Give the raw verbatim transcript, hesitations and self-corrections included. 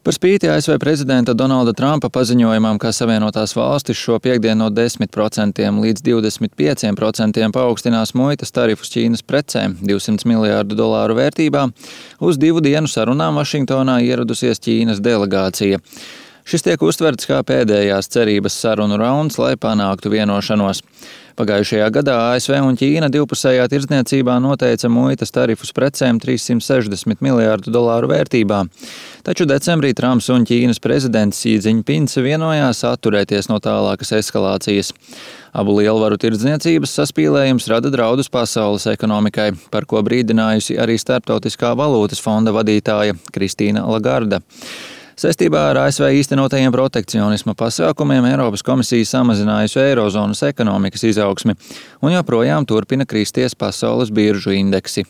Par spīti A S V prezidenta Donalda Trumpa paziņojumam, ka Savienotās valstis šo piektdienu no desmit procentiem līdz divdesmit pieciem procentiem paaugstinās muitas tarifus Ķīnas precēm divsimt miljārdu dolāru vērtībā, uz divu dienu sarunām Vašingtonā ieradusies Ķīnas delegācija. Šis tiek uztverts kā pēdējās cerības sarunu rauns, lai panāktu vienošanos. Pagājušajā gadā A S V un Ķīna divpusējā tirdzniecībā noteica muitas tarifus precēm trīssimt sešdesmit miljārdu dolāru vērtībā. Taču decembrī Trumps un Ķīnas prezidents Xi Džiņpins vienojās atturēties no tālākas eskalācijas. Abu lielvaru tirdzniecības saspīlējums rada draudus pasaules ekonomikai, par ko brīdinājusi arī Starptautiskā valūtas fonda vadītāja Kristīna Lagarda. Saistībā ar A S V īstenotajiem protekcionisma pasākumiem Eiropas komisija samazinājusi eirozonas ekonomikas izaugsmi un joprojām turpina kristies pasaules biržu indeksi.